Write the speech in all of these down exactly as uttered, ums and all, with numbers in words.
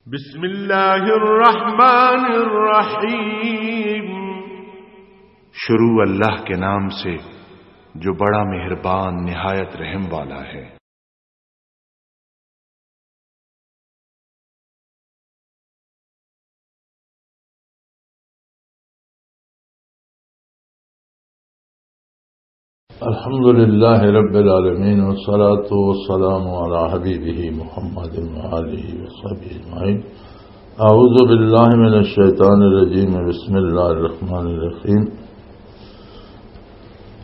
بسم اللہ الرحمن الرحیم۔ شروع اللہ کے نام سے جو بڑا مہربان نہایت رحم والا ہے۔ الحمد لله رب العالمين، والصلاة والسلام على حبيبه محمد وآله وصحبه أجمعين. أعوذ بالله من الشيطان الرجيم. بسم الله الرحمن الرحيم.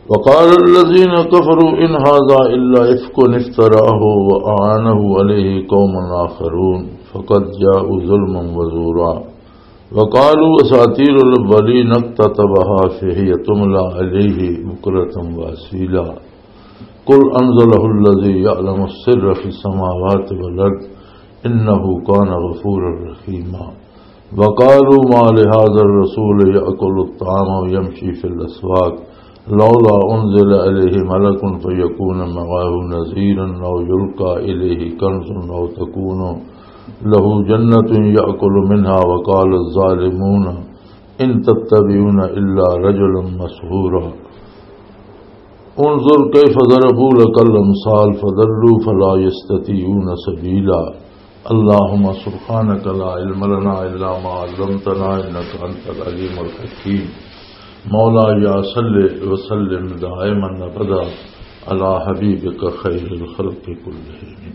وقال الذين كفروا إن هذا إلا إفك افتراه وأعانه عليه قوم آخرون فقد جاءوا ظلما وزورا. وقالوا أساطير الأولين اكتتبها فهي تملى عليه بكرة وأصيلا. قل أنزله الذي يعلم السر في السماوات والأرض إنه كان غفورا رحيما. وقالوا ما لهذا الرسول يأكل الطعام ويمشي في الأسواق لولا أنزل عليه ملك فيكون معه نذيرا أو يلقى إليه كنز أو تكون له جنة يأكل منها وقال الظالمون إن تتبعون إلا رجلا مسحورا. انظر كيف ضربوا لك الأمثال فضلوا فلا يستطيعون سبيلا. اللهم سبحانك لا علم لنا إلا ما علمتنا إنك أنت العليم الحكيم. مولاي صل وسلم دائما أبدا على حبيبك خير الخلق كلهم.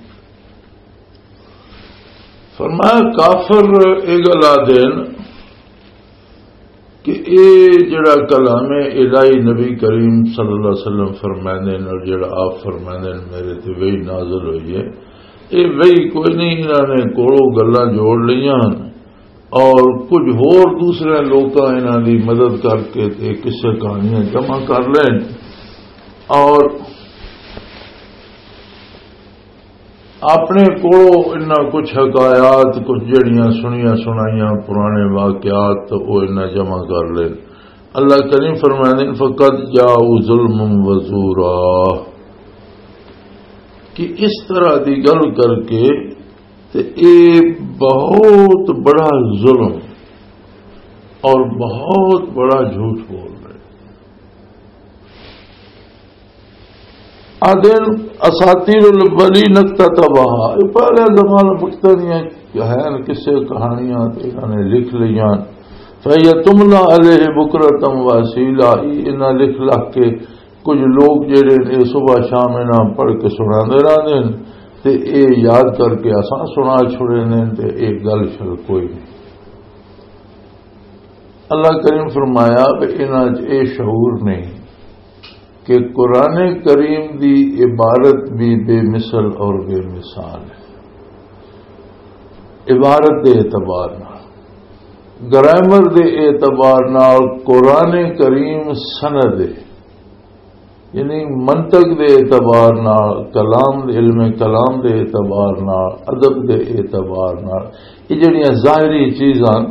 فرمایا، کافر یہ گل آدھے ہن کہ اے جڑا کلام الہی نبی کریم صلی اللہ علیہ وسلم فرماندے نے اور جڑا آپ فرماندے نے میرے تے وحی نازل ہوئی ہے، اے وحی کوئی نہیں، انہاں نے کوڑوں گلاں جوڑ لیاں ہن اور کچھ ہور دوسرے لوکاں انہاں دی مدد کر کے تے قصے کہانیاں جمع کر لین اور اپنے کولوں انہاں کچھ حکایات، کچھ جڑیاں سنیاں سنائیاں پرانے واقعات، او انہاں جمع کر لے۔ اللہ کریم فرماندے نے، "فقد جاءوا ظلما وزورا"، کہ اس طرح دی گل کر کے تے اے بہت بڑا ظلم اور بہت بڑا جھوٹ بول رہے۔ آدن اساطیر الاولین اکتتبہا، یہ پہلے زمانہ بکتنیاں ہیں، قصے کہانیاں تے انہاں نے لکھ لیاں۔ فہی تملا علیہ بکرۃ و اصیلا، یہ انہاں لکھ لکھ کے کچھ لوگ جڑے نے صبح شام انہاں پڑھ کے سنا دے رہندے نے تے اے یاد کر کے اساں سنا چھڑے نے تے اے گل شل کوئی نہیں۔ اللہ کریم فرمایا کہ انہاں چ اے شعور نہیں کہ قرآن کریم دی عبارت بھی بے مثل اور بے مثال ہے۔ عبارت دے اعتبار نال، گرامر دے اعتبار نال قرآن کریم سند ہے، یعنی منطق دے اعتبار نال، کلام، علم کلام دے اعتبار نال، ادب دے اعتبار نال، یہ جڑیاں ظاہری چیزاں،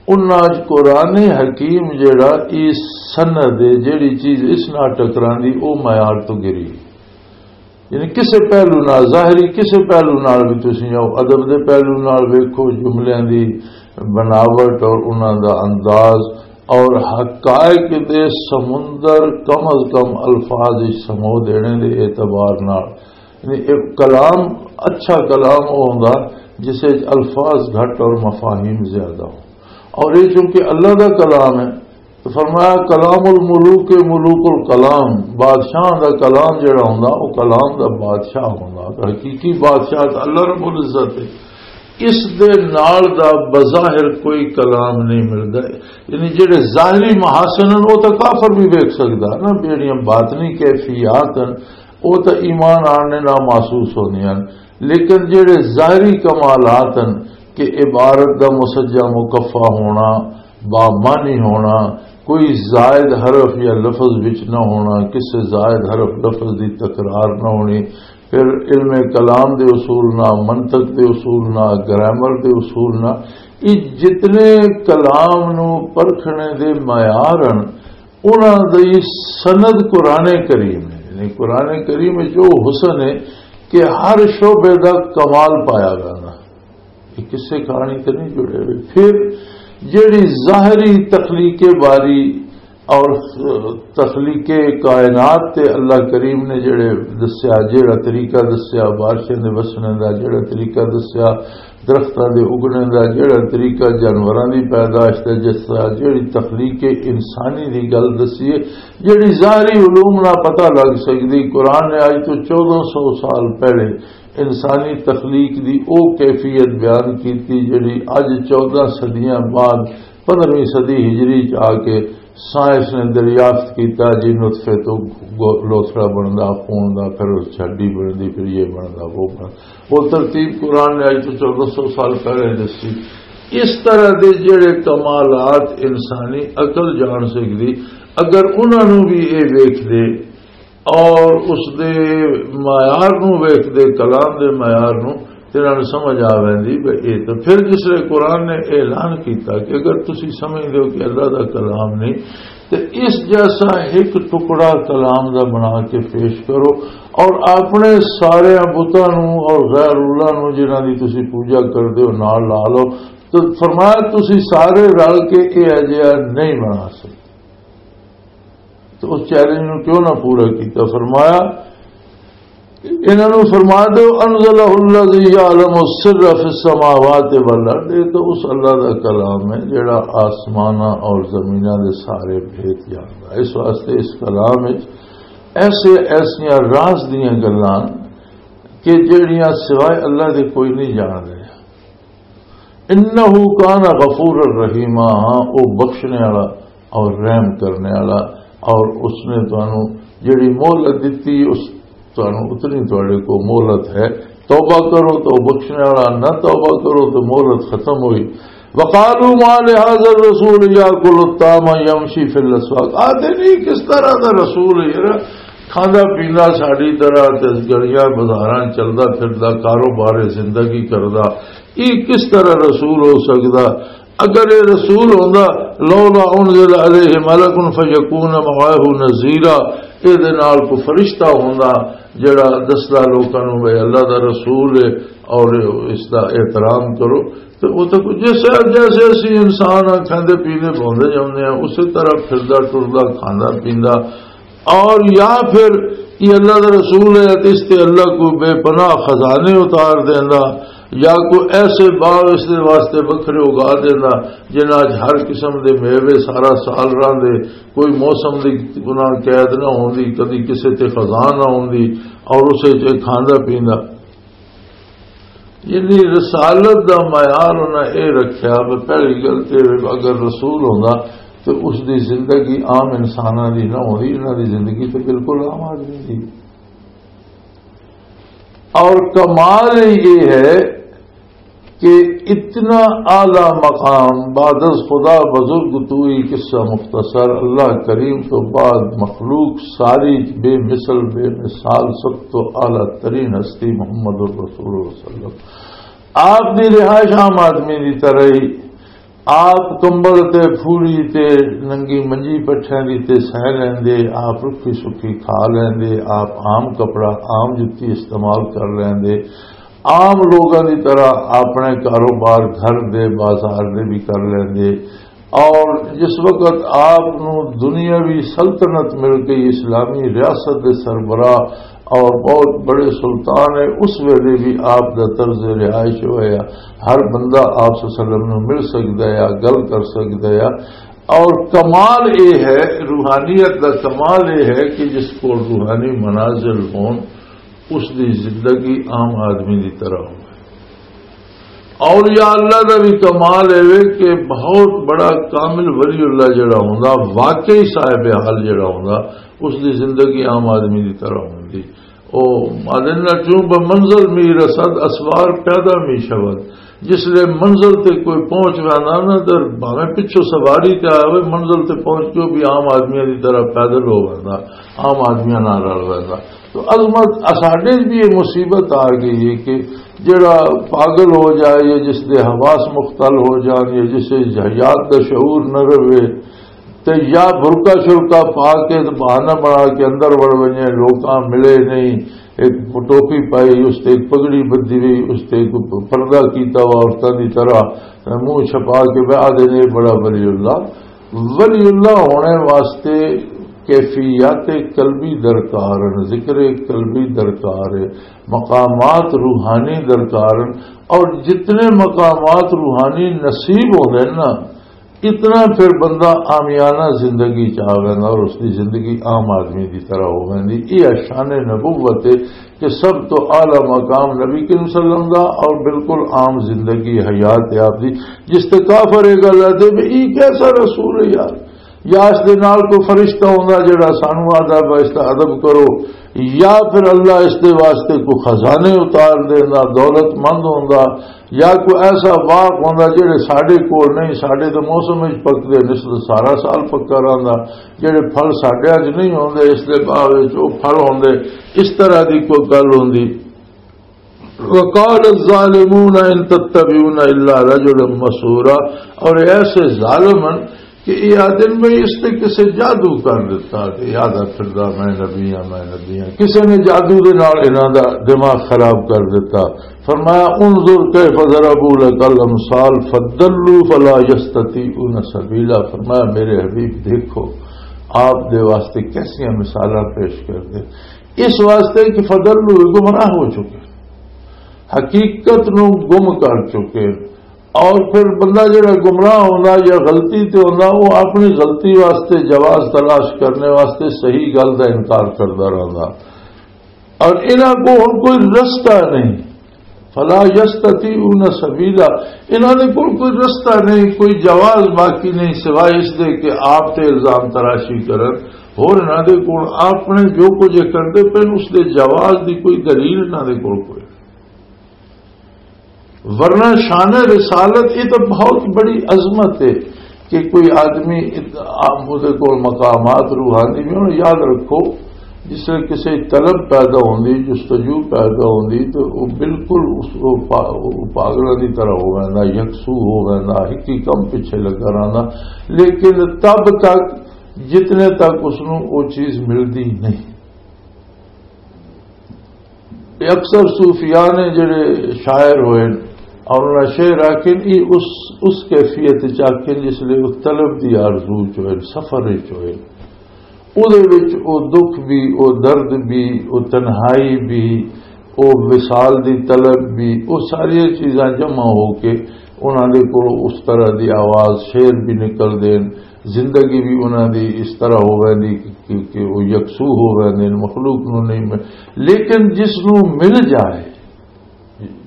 انہاں اچ قرآن حکیم جڑا، ای سند ہے، جڑی چیز اس نال ٹکراندی، او معیار تو گری۔ یعنی کسے پہلو نال، ظاہری کسے پہلو نال بھی تسی آؤ، ادب دے پہلو نال ویکھو، جملیاں دی بناوٹ اور انہاں دا انداز اور حقائق دے سمندر کم از کم الفاظ وچ سمو دینے دے اعتبار نال۔ یعنی ایک کلام، اچھا کلام وہ ہوندا جس وچ الفاظ گھٹ اور مفاہیم زیادہ ہوں۔ اور یہ چونکہ اللہ دا کلام ہے، تو فرمایا، "کلام الملوک ملوک الکلام"، بادشاہ دا کلام جڑا ہوندا، وہ کلام دا بادشاہ ہوندا۔ تو حقیقی بادشاہ تو اللہ رب العزت ہے۔ اس دے نال دا بظاہر کوئی کلام نہیں ملدا۔ یعنی جڑے ظاہری محاسن ہیں، وہ تو کافر بھی ویکھ سکدا نا، جڑیاں باطنی کیفیات ہیں، وہ تو ایمان آنے نال محسوس ہوندیاں ہیں۔ لیکن جڑے ظاہری کمالات ہیں کہ عبارت دا مسجع مکفا ہونا، بامعنی ہونا، کوئی زائد حرف یا لفظ وچ نہ ہونا، کسے زائد حرف لفظ دی تکرار نہ ہونی، پھر علم کلام دے اصول نہ، منطق دے اصول نہ، گرامر دے اصول نہ، یہ جتنے کلام نو پرکھنے دے معیار ہیں، انہاں دی سند قرآن کریم ہے۔ یعنی قرآن کریم وچ جو حسن ہے کہ ہر شعبے دا کمال پایا جانا۔ یہ قصے کہانی تے نہیں جڑے ہوئے۔ پھر جڑی ظاہری تخلیق باری اور تخلیق کائنات تے اللہ کریم نے جڑے دسیا، جڑا طریقہ دسیا بارشیں دے وسنے دا، جڑا طریقہ دسیا درختاں دے اگنے دا، جڑا طریقہ جانوراں دی پیدائش دا، جس طرح جڑی تخلیق انسانی دی گل دسی ہے، جڑی ظاہری علوم نہ پتہ لگ سکدی۔ قرآن نے اج تو چودہ سو سال پہلے انسانی تخلیق دی او کیفیت بیان کیتی جڑی اج چودہ صدیاں بعد پندرہویں صدی ہجری چ آ کے سائنس نے دریافت کیتا جی نطفے تو گو-، لوتھڑا بندا، خون دا، پھر اس چ ہڈی بندی، پھر یہ بندا، وہ بندا۔ وہ ترتیب قرآن نے اج تو چودہ سو سال پہلے دسی۔ اس طرح دے جڑے کمالات انسانی عقل جان سکدی، اگر انہاں نوں بھی یہ ویکھ دے اور اس دے معیار نوں ویکھ دے، کلام دے معیار نوں، تے انہاں نوں سمجھ آ ویندی۔ بھئی اے تے پھر جس لے قرآن نے اعلان کیتا کہ اگر تسی سمجھ دیو کہ اللہ دا کلام نہیں، تے اس جیسا ایک ٹکڑا کلام دا بنا کے پیش کرو اور اپنے سارے بتاں نوں اور غیر اللہ نوں جنہاں دی تسی پوجا کردے ہو نال لا لو۔ تو فرمایا تسی سارے رل کے اے اجہا نہیں بنا سکتے۔ تو اس چیلنج نوں کیوں نہ پورا کیتا؟ فرمایا، انہاں نوں فرما دیو، "انزلہ الذی یعلم السر فی السماوات والارض"، یہ تو اس اللہ دا کلام ہے جڑا آسماناں اور زمیناں دے سارے بھید جاندا ہے۔ اس واسطے اس کلام وچ ایسے، ایسیاں راز دیاں گلاں کہ جڑیاں سوائے اللہ دے کوئی نہیں جاندا۔ انہ کان غفور الرحیمہ، ہاں، او بخشنے والا اور رحم کرنے والا، اور اس نے تانوں جڑی مہلت دتی، اس تانوں اتنی تواڈے کو مہلت ہے۔ توبہ کرو تو بخشنے والا، نہ توبہ کرو تو مہلت ختم ہوئی۔ وقالوا ما لهذا الرسول يأكل الطعام ويمشي في الأسواق، آتے نہیں کس طرح دا رسول ہے یار، کھاندا پیندا ساڈی طرح تے گلیاں بازاراں چلدا پھردا، کاروبار زندگی کردا، یہ کس طرح رسول ہو سکدا؟ اگر یہ رسول ہوندا، "لولا انزل علیہ ملک فیکون معاہ نذیرا"، اے دے نال کوئی فرشتہ ہوندا جڑا دسدا لوکاں نوں بھئی اللہ دا رسول ہے اور اس دا احترام کرو، تے او تے کوئی جس، جیسے اسی انسان آں، کھاندے پیندے بھوندے جاندے آں، اسی طرح پھردا ٹردا کھاندا پیندا، اور یا پھر یہ اللہ دا رسول ہے تے اس تے اللہ کو بے پناہ خزانے اتار دیندا، یا کوئی ایسے باغ اس دے واسطے وکھرے اگا دیندا جنہاں 'چ ہر قسم دے میوے سارا سال راندے، کوئی موسم دی گناہ قید نہ ہوندی، کدی کسے تے خزاں نہ ہوندی، اور اسے 'چ کھاندا پیندا۔ یعنی رسالت دا معیار انہاں اے رکھیا، بس پہلی گل تے اگر رسول ہوندا تے اس دی زندگی عام انساناں دی نہ ہوندی، انہاں دی زندگی تے بالکل عام آدمی دی۔ اور کمال یہ ہے کہ اتنا اعلیٰ مقام، بعد از خدا بزرگ تو ہی، قصہ مختصر، اللہ کریم تو بعد مخلوق ساری بے مثل، بے مثال، سب تو اعلیٰ ترین ہستی محمد الرسول صلی اللہ علیہ وسلم۔ آپ دی رہائش عام آدمی دی طرح ہی، آپ کمبل تے پھوڑی تے ننگی منجی پٹھیاں دی تے سہ لیندے، آپ رکھی سکھی کھا لیندے، آپ عام کپڑا، عام جتی استعمال کر لیندے، عام لوگاں دی طرح اپنے کاروبار گھر دے، بازار دے بھی کر لیندے۔ اور جس وقت آپ نو دنیاوی سلطنت مل گئی، اسلامی ریاست دے سربراہ اور بہت بڑے سلطان ہے، اس ویلے بھی آپ دا طرز رہائش ہویا، ہر بندہ آپ صلی اللہ علیہ وسلم نو مل سکدا ہے، گل کر سکدا ہے۔ اور کمال یہ ہے، روحانیت دا کمال یہ ہے کہ جس کو روحانی منازل ہون، اس دی زندگی عام آدمی دی طرح ہو۔ اور یا اللہ دا بھی کمال ہے کہ بہت بڑا کامل ولی اللہ جڑا ہوندا، واقعی صاحب حال جڑا ہوندا، اس دی زندگی عام آدمی دی طرح ہوندی۔ او آدن نہ چون بہ منزل می رسد، اسوار پیدا می شود۔ جس لے منزل تے کوئی پہنچ ویندا نا، تے بھاویں پچھوں سواری تے آیا ہوئے، منزل تے پہنچ کے وہ بھی عام آدمیاں دی طرح پیدل ہو ویندا، عام آدمیاں نال رل ویندا۔ تو عظمت، اساڈے بھی یہ مصیبت آ گئی ہے کہ جڑا پاگل ہو جائے یا جس دے حواس مختل ہو جان یا جس دے حیات دا شعور نہ رہے، تے یا برقع شرقع پا کے تے بہانہ بنا کے اندر وڑ ونجے، لوکاں ملے نہیں، ایک ٹوپی پائی، اس تے ایک پگڑی بدھی ہوئی، اس تے ایک پردہ کیتا ہوا عورتاں دی طرح، منہ چھپا کے بہ آدھے نے، "یہ بڑا ولی اللہ۔" ولی اللہ ہونے واسطے کیفیات قلبی درکار ہیں، ذکر قلبی درکار ہے، مقامات روحانی درکار ہیں، اور جتنے مقامات روحانی نصیب ہوندے ہیں نا، اتنا پھر بندہ عامیانہ زندگی چ آ ویندا اور اس دی زندگی عام آدمی دی طرح ہو ویندی۔ یہ شان نبوت ہے کہ سب تو اعلیٰ مقام نبی کریم صلی اللہ علیہ وسلم دا اور بالکل عام زندگی حیات ہے آپ دی، جس تے کافر یہ گل آتے بھی یہ کیسا رسول ہے یار؟ یا اس دے نال کوئی فرشتہ ہوندا جڑا سانو آدھا با اس دا ادب کرو، یا پھر اللہ اس دے واسطے کوئی خزانے اتار دیندا، دولت مند ہوندا، یا کوئی ایسا باغ ہوندا جڑے ساڈے کول نہیں، ساڈے تے موسم وچ پکدے نے، اس تے سارا سال پکا رہندا، جڑے پھل ساڈے اج نہیں ہوندے، اس دے باغ وچ او پھل ہوندے، اس طرح دی کوئی گل ہوندی۔ وقال الظالمون ان تتبعون الا رجلا مسحورا، اور ایسے ظالم ہیں کہ یہ آدمی میں اس نے کسے جادو کر دیتا کہ یاد پھردا میں نبی ہاں، میں نبی ہاں۔ کسے نے جادو دے نال انہاں دا دماغ خراب کر دیتا۔ فرمایا، "انظر کیف ضربوا لک الامثال فضلوا فلا یستطیعون سبیلا۔" فرمایا، میرے حبیب دیکھو، آپ دے واسطے کیسیاں مثالاں پیش کر دے، اس واسطے کہ فضلوا، گمراہ ہو چکے، حقیقت نو گم کر چکے۔ اور پھر بندہ جڑا گمراہ ہوندا یا غلطی تے ہوندا، وہ اپنی غلطی واسطے جواز تلاش کرنے واسطے صحیح گل دا انکار کردا رہندا۔ اور انہاں کو ہن کوئی رستہ نہیں، فلا یستطیعون سبیلا، انہاں دے کول کوئی رستہ نہیں، کوئی جواز باقی نہیں سوائے اس دے کہ آپ تے الزام تراشی کرن۔ اور انہاں دے کول آپ نے جو کچھ یہ کرتے پے اس دے جواز دی کوئی دلیل انہاں دے کول کوئی۔ ورنہ شان رسالت یہ تو بہت بڑی عظمت ہے کہ کوئی آدمی ات-، آپ، اس دے کول مقامات روحانی بھی ہن یاد رکھو، جس ویلے کسی طلب پیدا ہوندی، جستجو پیدا ہوندی، تو وہ بالکل اس، وہ پا-، وہ پاگلاں دی طرح ہو ویندا، یکسو ہو ویندا، ہکی کم پیچھے لگا رہندا۔ لیکن تب تک جتنے تک اس نوں وہ چیز ملدی نہیں۔ اکثر صوفیاء نے جڑے شاعر ہوئے اور انہاں شعر آکھن، یہ اس، اس کیفیت چ آکھن جس لئے وہ طلب دی آرزو چ ہوئے، سفر چ ہوئے۔ اودے وچ او دکھ بھی، او درد بھی، او تنہائی بھی، او وصال دی طلب بھی، او ساری چیزاں جمع ہو کے انہاں دے کول اس طرح دی آواز، شعر بھی نکل دین، زندگی بھی انہاں دی اس طرح ہو ویندی کہ، کہ، کہ وہ یکسو ہو ویندے نے، مخلوق نو نہیں مل-، لیکن جس نو مل جائے،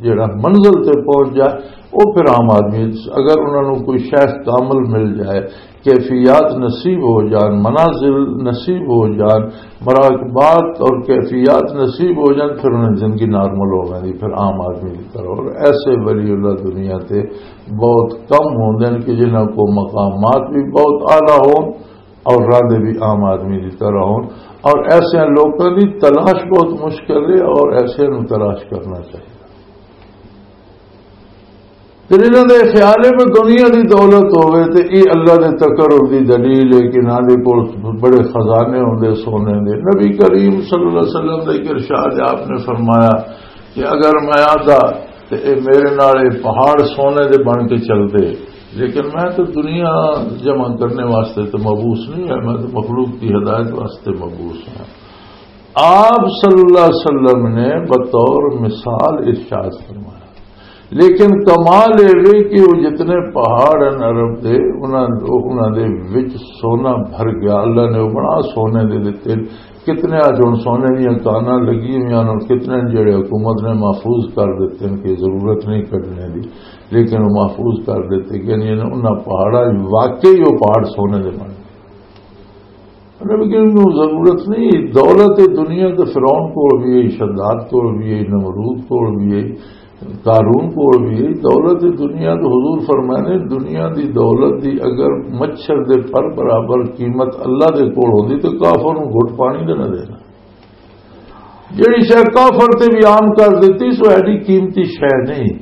جڑا منزل تے پہنچ جائے، وہ پھر عام آدمی، اگر انہاں نو کوئی شیخ کامل مل جائے، کیفیات نصیب ہو جان، منازل نصیب ہو جان، مراقبات اور کیفیات نصیب ہو جان، پھر انہیں زندگی نارمل ہو ویندی، پھر عام آدمی کی طرح۔ اور ایسے ولی اللہ دنیا تے بہت کم ہوندے ہیں کہ جنہاں کو مقامات بھی بہت اعلیٰ ہون اور ارادے بھی عام آدمی کی طرح ہون۔ اور ایسے لوگوں کی تلاش بہت مشکل ہے اور ایسے نوں تلاش کرنا چاہیے۔ پھر انہاں دے خیال ہے کہ دنیا دی دولت ہوئے تے یہ اللہ دے تقرب دی دلیل ہے کہ انہاں دے کول بڑے خزانے ہوندے سونے دے۔ نبی کریم صلی اللہ علیہ وسلم دا ایک ارشاد ہے، آپ نے فرمایا کہ اگر میں آدھا تے اے میرے نال اے پہاڑ سونے دے بن کے چلدے، لیکن میں تو دنیا جمع کرنے واسطے تو مبعوث نہیں ہے، میں تو مخلوق کی ہدایت واسطے مبعوث ہوں۔ آپ صلی اللہ علیہ وسلم نے بطور مثال ارشاد فرمایا۔ لیکن کمال یہ وے کہ وہ جتنے پہاڑ ہیں عرب دے، انہاں، انہاں دے وچ سونا بھر گیا۔ اللہ نے وہ بنا سونے دے دتے۔ کتنے آج ہن سونے دیاں کاناں لگی ہوئی ہیں، اور کتنے جڑے حکومت نے محفوظ کر دتے ہیں کہ ضرورت نہیں کڈنے دی، لیکن وہ محفوظ کر دتے گئے۔ یعنی انہاں پہاڑاں وچ واقعی وہ پہاڑ سونے دے بن گئے۔ نبی کریم نوں ضرورت نہیں۔ دولت دنیا تے فرعون کول بھی ہے، شداد کول بھی ہے، نمرود کول بھی ہے، قارون کول بھی ہے۔ دولت دنیا تو حضور فرمانے، دنیا دی دولت دی اگر مچھر دے پر برابر قیمت اللہ دے کول ہوندی تو کافر نوں گھٹ پانی دے نہ دینا۔ جڑی شے کافر تے بھی عام کر دتی، سو ایڈی قیمتی شے نہیں۔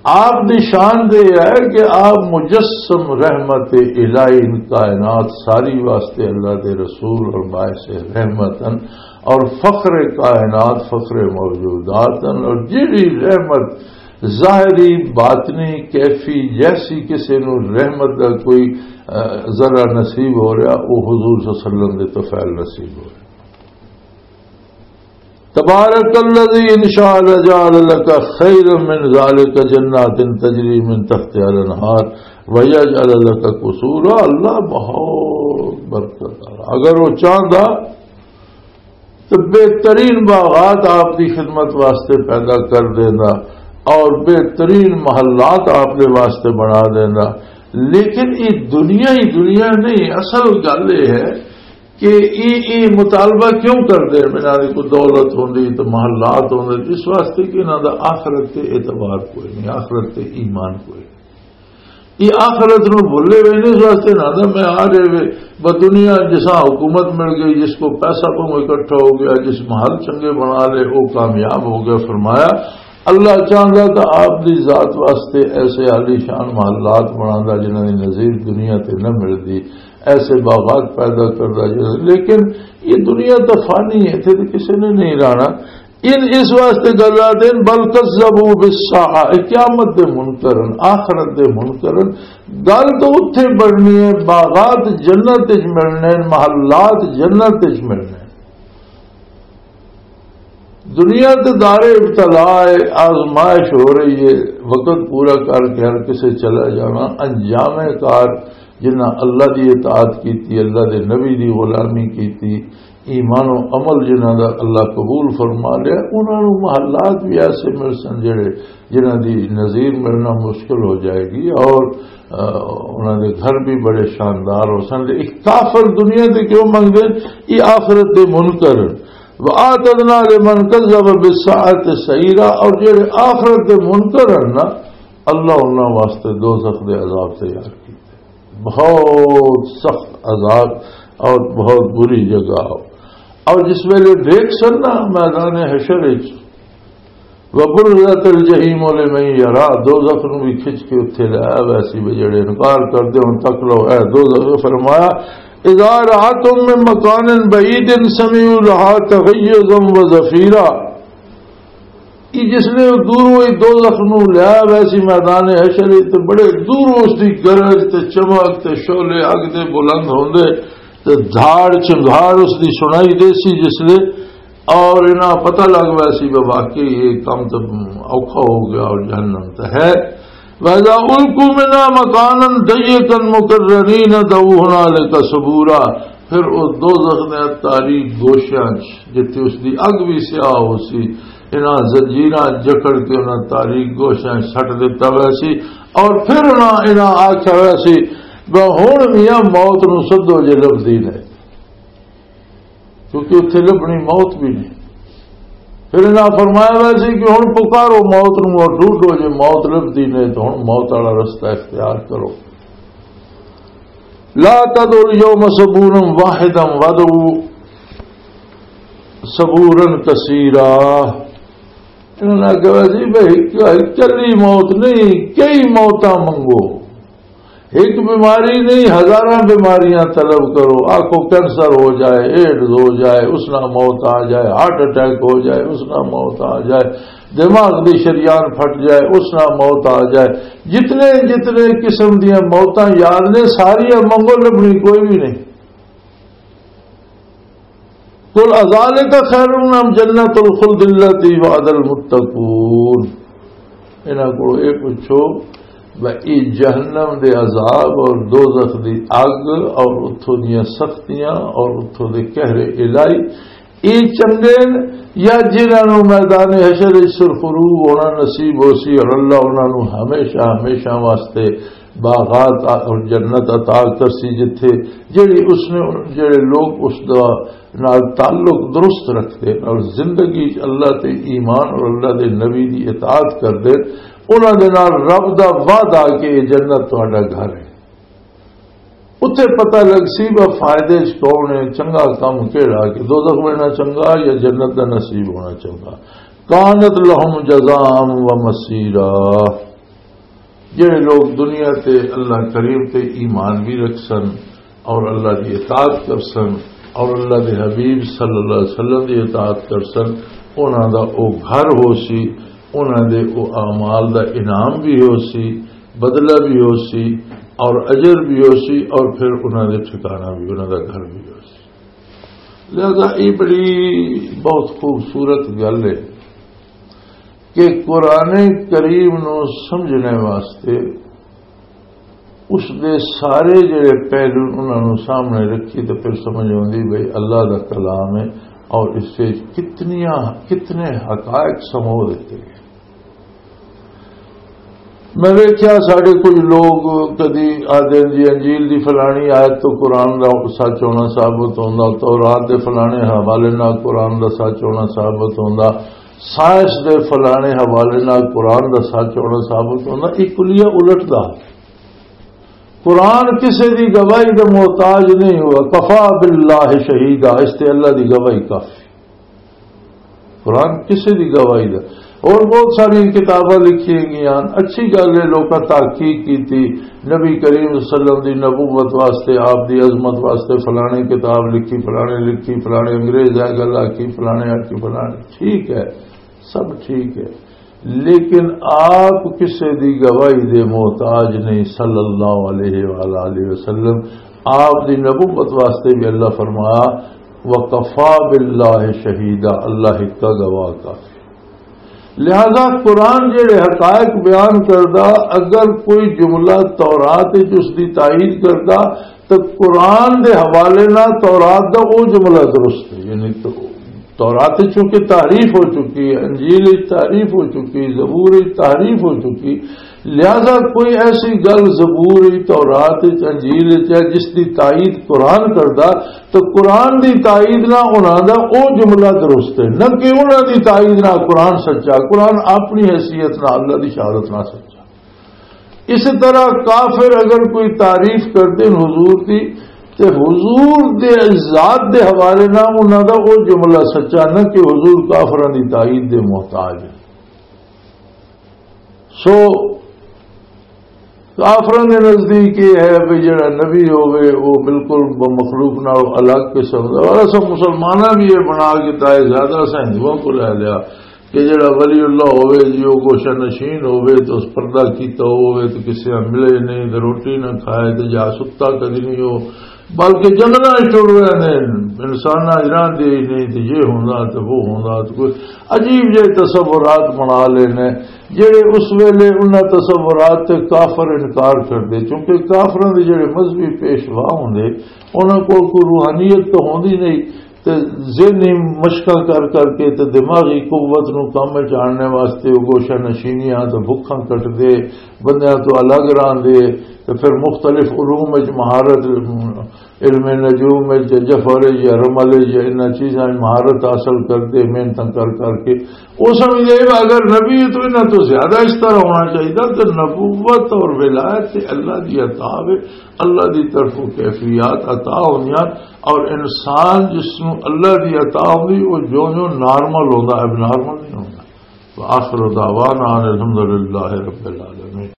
آپ دی شان دے ہے کہ آپ مجسم رحمت الہی، ان کائنات ساری واسطے اللہ دے رسول اور باعث رحمت ہیں۔ اور فخر کائنات، فخر موجودات ہیں۔ اور جیڑی رحمت ظاہری، باطنی، کیفی، جیسی کسی نو رحمت دا کوئی، آ، ذرہ نصیب ہو رہا، وہ حضور صلی اللہ علیہ وسلم دے طفیل نصیب ہو رہا۔ تبارک الذی ان شاء لجعل لک خیرا من ذلک جنات تجری من تحتها الانہار ویجعل لک قصورا۔ اللہ بہت برکت والا۔ اگر وہ چاہتا تو بہترین باغات آپ کی خدمت واسطے پیدا کر دینا اور بہترین محلات آپ کے واسطے بنا دینا۔ لیکن یہ دنیا ہی دنیا نہیں، اصل گل یہ ہے کہ یہ، یہ مطالبہ کیوں کردے ہیں؟ انہاں دے کوئی دولت ہوندی تو محلات ہوندے، اس واسطے کہ انہاں دا آخرت تے اعتبار کوئی نہیں، آخرت تے ایمان کوئی نہیں۔ یہ آخرت نو بھولے ہوئے نے، اس واسطے نہ دا میں آ رہے وے، بس دنیا جسا حکومت مل گئی، جس کو پیسہ بہوں اکٹھا ہو گیا، جس محل چنگے بنا لے، وہ کامیاب ہو گیا۔ فرمایا، اللہ چاہندا تو آپ دی ذات واسطے ایسے عالی شان محلات بناندا جنہاں دی نظیر دنیا تے نہ ملدی، ایسے باغات پیدا کردا جنہاں، لیکن یہ دنیا تو فانی ہے، اتھے تو کسی نے نہیں رہنا۔ ان اس واسطے گل آتے ہیں، بل کذبوا بالساعہ، اے قیامت دے منکر ہن، آخرت دے منکر ہن۔ گل تو اتھے بڑھنی ہے، باغات جنت وچ ملنے ہیں، محلات جنت وچ ملنے ہیں۔ دنیا تے دار ابتلا ہے، آزمائش ہو رہی ہے، وقت پورا کر کے ہر کسے چلا جانا۔ انجام کار جنہاں اللہ دی اطاعت کیتی، اللہ دے نبی دی غلامی کیتی، ایمان و عمل جنہاں دا اللہ قبول فرما لیا، انہاں نوں محلات بھی ایسے مل سن جڑے، جنہاں دی نظیر ملنا مشکل ہو جائے گی، اور، آ، انہاں دے گھر بھی بڑے شاندار ہو سن۔ ایک کافر دنیا دے کیوں منگدے؟ یہ آخرت دے منکر۔ وَأَعْتَدْنَا لِمَنْ كَذَّبَ بِالسَّاعَةِ سَعِيرًا، اور جڑے آخرت دے منکر ہیں نا، اللہ انہاں واسطے دوزخ دے عذاب تیار کیتے۔ بہت سخت عذاب اور بہت بری جگہ ہو۔ اور جس ویلے دیکھ سن نا میدان حشر وچ، وَبُرِّزَتِ الْجَحِيمُ لِمَنْ يَرَى، دوزخ نو بھی کھچ کے اتھے لے آیا ویسی بھی جڑے انکار کر دے ہن تک لو اے دوزخ۔ فرمایا، اذا رأتهم من مكان بعيد سمعوا لها تغيظا وزفيرا۔ یہ جس نے دوروں ہی دوزخ نو لیا ویسی میدان حشر وچ، تے بڑے دوروں اس دی گرج تے چمک تے شعلے اگ دے بلند ہوندے تے دھاڑ چنگھاڑ اس دی سنائی دے سی جس لے، اور انہاں پتہ لگ ویسی بھی واقعی یہ کام تے اوکھا ہو گیا اور جہنم تے ہے۔ وَإِذَا أُلْقُوا مِنْهَا مَكَانًا ضَيِّقًا مُقَرَّنِينَ دَعَوْا هُنَالِكَ ثُبُورًا۔ پھر او دوزخ دے تاریک گوشیاں چ، جتھے اس دی اگ بھی سیاہ ہو سی، انہاں زنجیراں جکڑ کے انہاں تاریک گوشیاں چ سٹ دتا ہویا سی، اور پھر انہاں، انہاں آکھیا ہویا سی، "بہ ہن میاں موت نو سدو جے لبھدی نے۔" کیونکہ اتھے لبھنی موت بھی نہیں۔ پھر انہاں فرمایا ویسے کہ ہن پکارو موت نو اور ڈھونڈو، جے موت لبھدی نہیں تو ہن موت والا رستہ اختیار کرو۔ لا تدعوا اليوم ثبورا واحدا وادعوا ثبورا كثيرا۔ انہاں نے کہا جی بھائی، اکلی موت نہیں، کئی موتاں منگو۔ ایک بیماری نہیں، ہزاراں بیماریاں طلب کرو۔ آنکھوں کینسر ہو جائے، ایڈز ہو جائے، اس نہ موت آ جائے، ہارٹ اٹیک ہو جائے، اس نہ موت آ جائے، دماغ دی شریان پھٹ جائے، اس نہ موت آ جائے۔ جتنے جتنے قسم دیاں موتاں یاد نے، ساریاں منگو، لبنی کوئی بھی نہیں۔ قل اذالک خیر ام جنت الخلد التی وعد المتقون۔ انہاں کو یہ پوچھو، بھئی، یہ جہنم دے عذاب اور دوزخ دی اگ اور اتھوں دیاں سختیاں اور اتھوں دے قہر الہی، یہ چنگے نے یا جنہاں نوں میدان حشر وچ سرخرو ہونا نصیب ہو سی اور اللہ انہاں نوں ہمیشہ، ہمیشہ واسطے باغات اور جنت عطا کرسی، جتھے جڑی اس نے، جڑے لوگ اس دا نال تعلق درست رکھتے اور زندگی چ اللہ تے ایمان اور اللہ دے نبی دی اطاعت کردے، انہاں دے نال رب دا وعدہ کہ یہ جنت تہاڈا گھر ہے۔ اتھے پتہ لگ سی وہ فائدے چ کون ہے، چنگا کم کیڑا، کہ دوزخ بننا چنگا یا جنت دا نصیب ہونا چنگا۔ کانت لہم جزاء و مصیرا۔ جڑے لوگ دنیا تے اللہ کریم تے ایمان بھی رکھ سن اور اللہ دی اطاعت کر سن، اور اللہ دے حبیب صلی اللہ علیہ وسلم دی اطاعت کر سن، انہاں دا او گھر ہو سی، انہاں دے او اعمال دا انعام بھی ہو سی، بدلہ بھی ہو سی، اور اجر بھی ہو سی، اور پھر انہاں دے ٹھکانہ بھی، انہاں دا گھر بھی ہو سی۔ لہذا یہ بڑی بہت خوبصورت گل ہے کہ قرآن کریم نو سمجھنے واسطے اس دے سارے جڑے پہلو انہاں نوں سامنے رکھی تے پھر سمجھ آوندی بھئی اللہ دا کلام ہے اور اس سے کتنیاں، کتنے حقائق سمو دیتے گئے۔ میں ویکھیا ساڈے کچھ لوگ کدی آدھے جی انجیل دی فلانی آیت تو قرآن دا سچ ہونا ثابت ہوندا، تورات دے فلانے حوالے نال قرآن دا سچ ہونا ثابت ہوندا، سائنس دے فلانے حوالے نال قرآن دا سچ ہونا ثابت ہوندا۔ یہ کلیہ الٹ دا۔ قرآن کسے دی گواہی دا محتاج نہیں ہوا، کفا باللہ شہیدا، اس تے اللہ دی گواہی کافی۔ قرآن کسے دی گواہی دا۔ اور بہت ساری کتاباں لکھی گئیاں، اچھی گل ہے، لوکاں تحقیق کیتی، نبی کریم صلی اللہ علیہ وسلم دی نبوت واسطے، آپ دی عظمت واسطے فلانے کتاب لکھی، فلانے لکھی، فلانے انگریز ہے گل آکی، فلانے آکی، فلانے، ٹھیک ہے، سب ٹھیک ہے، لیکن آپ کسے دی گواہی دے محتاج نہیں صلی اللہ علیہ وآلہ وسلم۔ آپ دی نبوت واسطے بھی اللہ فرمایا، وَكَفَىٰ بِاللَّهِ شَهِيدًا، اللہ ہکا گواہ کافی۔ لہذا قرآن جڑے حقائق بیان کردا، اگر کوئی جملہ تورات وچ اس دی تائید کردا، تو قرآن دے حوالے نال تورات دا او جملہ درست ہے۔ یعنی تو تورات وچ چونکہ تحریف ہو چکی ہے، انجیل وچ تحریف ہو چکی، زبور وچ تحریف ہو چکی، لہذا کوئی ایسی گل زبور وچ، تورات وچ، انجیل وچ ہے جس دی تائید قرآن کردا، تو قرآن دی تائید نہ انہاں دا او جملہ درست ہے، نہ کہ انہاں دی تائید نہ قرآن سچا۔ قرآن اپنی حیثیت نہ اللہ دی شہادت نہ سچا۔ اسی طرح کافر اگر کوئی تعریف کردے حضور دی، تے حضور دے ذات دے حوالے نہ انہاں دا او جملہ سچا، نہ کہ حضور کافراں دی تائید دے محتاج ہے۔ سو کافراں دے نزدیک یہ ہے بھی جڑا نبی ہوے، وہ بالکل ب-، مخلوق نال الگ قسم دا۔ اور اساں مسلماناں بھی یہ بنا کے تائے زیادہ اساں ہندوؤں کو لے لیا کہ جڑا ولی اللہ ہوے جی، وہ گوشہ نشین ہوے تو اس پردہ کیتا ہوے تو کسی نال ملے نہیں، تو روٹی نہ کھائے، تو جا ستا کدی نہیں ہو، بلکہ جنگلاں وچ ٹر رہے نے، انساناں اجران دے ہی نہیں، تے یہ ہوندا تے وہ ہوندا، تے کوئی عجیب جہے تصورات بنا لینے، جڑے اس ویلے انہاں تصورات تے کافر انکار کردے، کیونکہ کافراں دے جڑے مذہبی پیشوا ہوندے، انہاں کول کوئی روحانیت تو ہوندی نہیں، تے ذہنی مشقاں کر کر کے تے دماغی قوت نو کم وچ آننے واسطے وہ گوشہ نشینیاں تے بھکھاں کٹدے، بندیاں تو الگ راندے، تے پھر مختلف علوم وچ مہارت، علم نجوم وچ، جفر وچ یا رمل وچ یا انہاں چیزاں وچ مہارت حاصل کردے، محنتاں کر کر کے۔ وہ سمجھدے اگر نبی ہے تو انہاں تو زیادہ اس طرح ہونا چاہیے۔ تو نبوت اور ولایت تے اللہ دی عطا ہے، اللہ دی طرفوں کیفیات عطا ہوندیاں، اور انسان جس نوں اللہ دی عطا ہوندی، وہ جو جو نارمل ہوندا، ایب نارمل نہیں ہوندا۔ وآخر دعوانا ان الحمد للہ رب العالمین۔